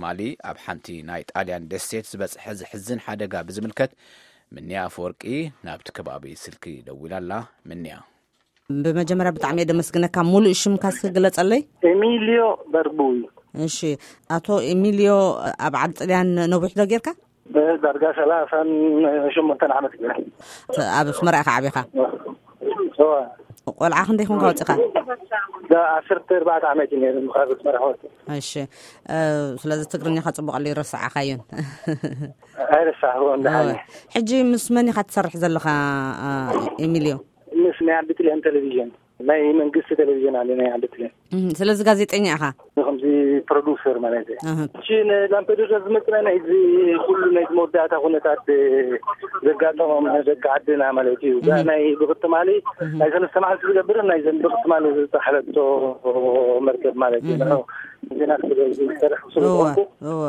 ማሊ ኣብ ሓንቲ ናይ ጣልያን ደሴት ዝበጽሐ ዝሕዝን ሓደጋ ብዝምልከት ምንያ ኣፈወርቂ ናብቲ ከባቢ ስልኪ ደዊላ ኣላ። ምንያ። ብመጀመርያ ብጣዕሚ እየ ደመስግነካ። ሙሉእ ሽምካ እስኪ ግለጸለይ። ኤሚልዮ በርቡይ። እሺ፣ ኣቶ ኤሚልዮ፣ ኣብ ዓዲ ጥልያን ነዊሕ ዶ ጌርካ? ዳርጋ ሰላሳን ሸሞንተን ዓመት ገይረ። ኣብ ኣስመራ ኢኻ ዓቢኻ? እዋ። ቆልዓ ክንደይ ኮንካ ወፂኻ? ዓሰርተ ኣርባዕተ ዓመት እዩ ነይሩ ካብ ኣስመራ ወፂ። እሺ፣ እ፣ ስለዚ ትግርኛኻ ጽቡቕ ኣሎ ይረሳዓኻዮን። ኣይረሳዕዎ እንዳሓኒ። ሕጂ ምስ መን ኢኻ ትሰርሕ ዘለኻ? እ፣ ኤሚልዮ? ምስ ናይ ዓዲ ጥልያን ቴሌቪዥን፣ ናይ መንግስቲ ቴሌቪዥን ኣለ ናይ ዓዲ ጥልያን። እም፣ ስለዚ ጋዜጠኛ ኢኻ? ከምዚ ፕሮዲውሰር ማለት እዩ። እህ። እሺ፣ ንላምፔዱዛ ዝመፅና ናይዚ ኩሉ ናይዚ መወዳእታ ኩነታት ዘጋጠሞም ደቂ ዓድና ማለት እዩ። እዛ እህ። ናይ ብቕትማሊ እህ። ናይ ሰለስተ መዓልቲ ዝገብርን ናይ ዘን ብቕትማሊ ዝተሓለቶ መርከብ ማለት እዩ። እህ። ንዑ ዜና ክሰርሕ ስለ እወ፣ ዝኾንኩ እወ።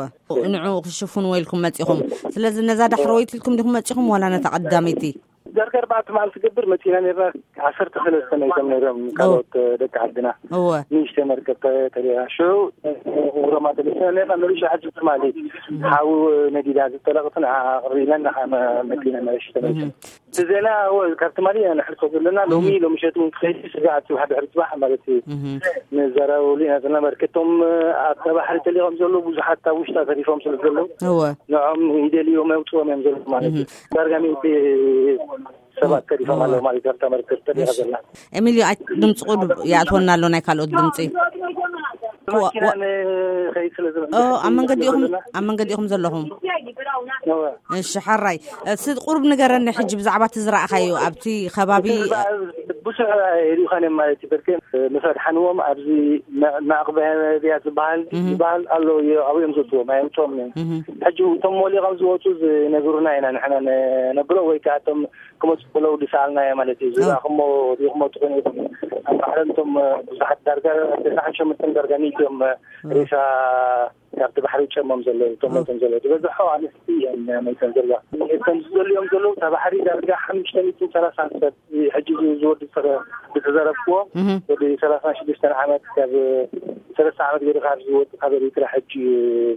ንዑ ክሽፍንዎ ኢልኩም መፂኹም። ስለዚ ነዛ ዳሕረወይቲ ኢልኩም ዲኹም መፂኹም ዋላ ነታ ቀዳመይቲ? ዳርጋ ኣርባዕተ መዓልቲ ዝገብር መፂና ነርና። ዓሰርተ ሰለስተ ናይቶም ነይሮም ካልኦት ደቂ ዓድና። እወ። ንእሽተይ መርከብ ተ-፣ ተሪራ። ሽዑ ሮማ ተመሊስና ነርና። መሊሻ ሕጂ ትማሊ ሓዊ ነዲዳ ዝጠለቕትን ኣቕሪብና ንዓ መ-፣ መፂና መለሽ ተመሊስና። እህ። እቲ ዜና እወ፣ ካብ ትማሊ ኢና ንሕልፎ ዘለና። ሎሚ፣ እህ። ሎሚ ሸቱ እውን ክኸይድ ስጋዕ እቲ ሓደ ድሕሪ ጽባሕ ማለት እዩ። እህ። ንዘራረበሉ ኢና ዘለና። መርከቶም ኣብታ ባሕሪ ተሊቖም ዘለዉ ብዙሓት ኣብ ውሽጣ ተሪፎም ስለ ዘለዉ እወ። ንዖም ይደልዮም የውፅኦም እዮም ዘለዉ ማለት እዩ። እህ። ዳርጋ ሚእቲ ሰባት ተሪፎም እወ። ኣለዉ ማለት እዩ። ኣብታ መርከብ ተሪፋ እሺ። ዘላ። ኤሚልዮ፣ ኣይ፣ ድምፂ ቁሩብ ይኣትወና ኣሎ፣ ናይ ካልኦት ድምፂ። መኪና ዋ-፣ ንኸይድ ስለ ዝብል ኦ፣ ኣብ መንገዲ ኢኹም፣ ዘለና። ኣብ መንገዲ ኢኹም ዘለኹም? እወ። እሺ፣ ሓራይ። እስቲ ቁሩብ ንገረኒ ሕጂ ብዛዕባ እቲ ዝረኣኻዮ ኣብቲ ከባቢ። እቲ ዝረኣ ብዙሕ ሪኢኻን እዮም ማለት እዩ። በርኬ ምስ ኣድሓንዎም ኣብዚ ና-፣ ናቕበ ነቢያት ዝበሃል፣ እህ። ዝበሃል ኣሎ፣ ኣብኡ እዮም ዘውፅዎም፣ ኣየምፅኦም እዮም። እህ። ሕጂ እቶም ሞሊቖም ዝወፁ ዝነግሩና ኢና ንሕና ነ-፣ ነብሎ ወይ ከዓ እቶም ክመፁ ከለዉ ዝሰኣልናዮ ማለት እዩ። እወ። ዝረኣኹሞ ሪኢኹሞ ትኾኑ ኢኹም። ኣብ ባሕሪ እቶም ብዙሓት ዳርጋ ተስዓን ሸሞንተን ዳርጋ ሚእቲ እዮም እወ። ሬሳ ካብቲ ባሕሪ ጨሞም ዘለዉ፣ እቶም ሞይቶም ዘለዉ። ዝበዝሖ ኣንስቲ እየን ሞይተን ዘለዋ። እቶም ዝደልዮም ዘለዉ፣ እታ ባሕሪ ዳርጋ ሓሙሽተ ሚእትን ሰላሳን ሰብ ሕጂ ዝ-፣ ዝወዲ ዝተረ-፣ ዝተዘረብክዎ፣ እህ። ወዲ ሰላሳን ሽዱሽተን ዓመት፣ ካብ ሰለስተ ዓመት ገይሩ ካብ ዝወዲ ካብ ኤሪትራ ሕጂ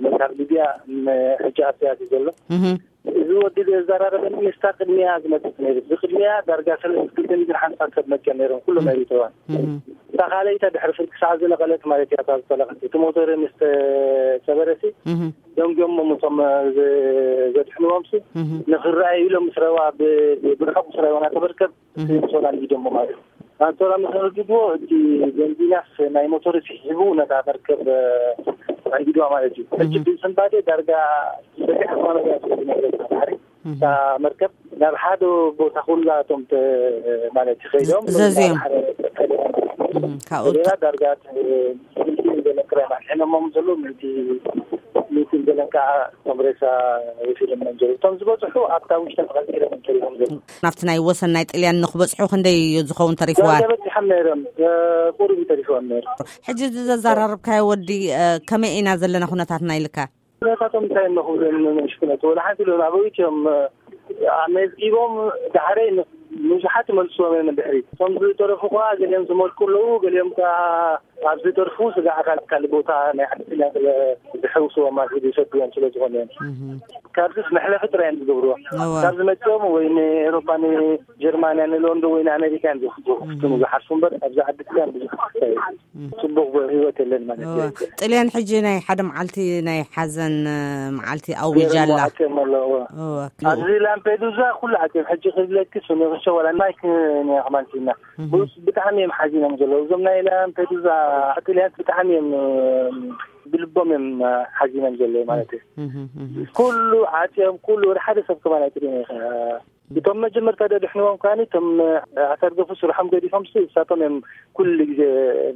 ሞይታ ኣብ ሊብያ፣ ም-፣ ሕጂ ኣብቲያ እዩ ዘሎ። እህ። እዚ ወዲ ዘዘራረበኒ ምስታ ቅድሚያ ዝመጽእ ነይሩ። ብቅድሚያ ዳርጋ ሰለስተ ሚእትን ሓምሳ ሰብ መጽኦም ነይሮም፣ ኩሎም እም። ኤሪትራውያን። እም። እታ ካልኣይታ ድሕሪ ፍርቂ ሰዓት ዝነቐለት ማለት እያ፣ እታ ዝጠለቐት። እቲ ሞተር ምስ ተሰበረሲ፣ እም። ደንጊዮሞም እቶም ዘ-፣ ዘድሕንዎም ሲ፣ እም። ንኽረኣዩ ኢሎም ምስ ረዋ፣ ብ-፣ ብ-፣ ብርሑቕ ምስ ረዋ ናተበርከብ፣ እም። ሶላ ንጊዶሞ ማለት እዩ። ኣንቶራ ምስ ኣረግድዎ፣ እቲ ቤንዚናስ ናይ ሞተር ስሒቡ ነታ መርከብ፣ እ፣ ኣንጊድዋ ማለት እዩ። ሕጂ እህ። ብስንባዴ ዳርጋ በዚሕ ዝኾነ እያ ትብል ነይረት ባሕሪ። እህ። እታ መርከብ ናብ ሓደ ቦታ ኩላቶም ተ-፣ ማለት እዩ ከይዶም፣ ዘዝዮም። ናብ ሓደ እህ። ካብኡ ሌላ ዳርጋ ት-፣ ሚእቲ ገለን ጥራይ እዮም ኣድሒኖሞም ዘለዉ፣ ሚእቲ፣ ሚእቲ ገለን ከዓ እቶም ሬሳ ወሲዶም እዮም ዘለዉ። እቶም ዝበዝሑ ኣብታ ውሽጢ ተቐልቂሎም እዮም ተሪፎም ዘለዉ። ናብቲ ናይ ወሰን ናይ ጥልያን ንክበጽሑ ክንደይ እዩ ዝኸውን ተሪፍዋ? ዳርጋ በጺሖም ነይሮም፣ እ፣ ቁሩብ እዩ ተሪፍዎም ነይሩ። ሕጂ እዚ ዘዘራረብካዮ ወዲ፣ እ፣ ከመይ ኢና ዘለና ኩነታትና ኢልካ? ኩነታቶም እንታይ እሞ ክብሎም ንእሽኩነት፣ ወላ ሓንቲ ኢሎም ኣበዊት እዮም፣ እ፣ ኣመዝጊቦም ዳሕረይ ን-፣ ንብዙሓት ይመልስዎም እዮም ንድሕሪት። እቶም ዝተረፉ ከኣ ገሊኦም ዝመልኩ ኣለዉ፣ ገሊኦም ከኣ ኣብ ዝተርፉ ስጋዕ ካልእ ካልእ ቦታ ናይ ዓድና ስለ ዝሕውስዎም ማለት እዩ፣ ዝሰድዎም ስለ ዝኾነ እዮም። እህ። ካብዚስ መሕለፊ ጥራይ እዮም ዝገብርዎ። እወ። ካብ ዝመጽኦም ወይ ንኤውሮፓ፣ ንጀርማንያ፣ ንሎንዶን ወይ ንኣሜሪካ እዮም ዝወስዱ፣ እህ። ዝሓርፉ እምበር ኣብዚ ዓዲ ጥልያን ብዙሕ ክስታይ እህ። ጽቡቕ ህይወት የለን ማለት እወ። እዩ። ጥልያን ሕጂ ናይ ሓደ መዓልቲ ናይ ሓዘን፣ እ፣ መዓልቲ ኣዊጃ ገይሮም ኣላ። ዓጽዮም ኣለዎ። እወ። ኣብዚ ላምፔዱዛ ኩሉ ዓጽዮም። ሕጂ ክብለኪስ ንኽሸ ወላ ማይ ክ-፣ ንያ ከማን ሲና። እህ። ብስ-፣ ብጣዕሚ እዮም ሓዚኖም ዘለዉ። እዞም ናይ ላምፔዱዛ ጥልያት ብጣዕሚ እዮም፣ እ፣ ብልቦም እዮም ሓዚኖም ዘለዉ ማለት እዩ። እህ፣ እህ። ኩሉ ዓጽዮም፣ ኩሉ ወደ ሓደ ሰብ ከማን ኣይጥልዩን እዩ። እቶም መጀመርታ ደድሕንዎም ከኣኒ፣ እቶም ኣሳርገፉ ስርሖም ገዲፎም ሲ፣ እሳቶም እዮም ኩሉ ግዜ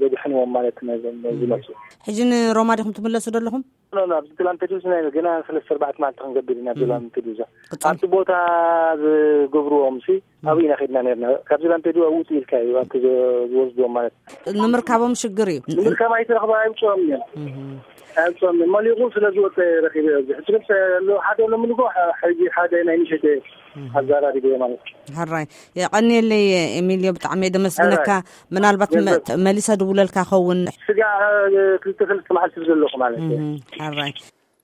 ደድሕንዎም ማለት ነዞም እህ። ዝመጹ። ሕጂ ንሮማ ዲኹም ትምለሱ ዘለኹም? ኖ፣ ኖ፣ ኣብዚ ላምፔዱዛ ናይ ገና ሰለስተ ኣርባዕተ መዓልቲ ክንገብር ኢና፣ ኣብዚ እህ። ላምፔዱዛ። ቅጽል? ኣብቲ ቦታ ዝገብርዎም ሲ፣ እህ። ኣብኡ ኢና ከድና ነርና። ካብዚ ላምፔዱዛ ውጽእ ኢልካ እዩ፣ ኣብቲ ዝ-፣ ዝወስድዎም ማለት። ንምርካቦም ሽግር እዩ። ንምርካብ ኣይትረኽባ፣ ኣይውጽኦም እዮም። እህ። ኣይውጽኦም እዮም። መሊቑ ስለ ዝወጸ ረኺበ ኣብዚ። ሕጂ ግን ሰ-፣ ኣሎ ሓደ ለምንጎ፣ ሐ-፣ ሕጂ ሓደ ናይ ምሸት እህ። ኣዘራሪበ ማለት። ሕራይ። የቐንየለይ ኤሚልዮ፣ ብጣዕሚ እየ ደመስግነካ። ሕራይ። ምናልባት መ-፣ ገንዘብ። መሊሰ ድውለልካ ኸውን። ስጋ፣ እ፣ ክልተ ሰለስተ መዓልቲ ዘለኹ ማለት እዩ። እህ። ሕራይ።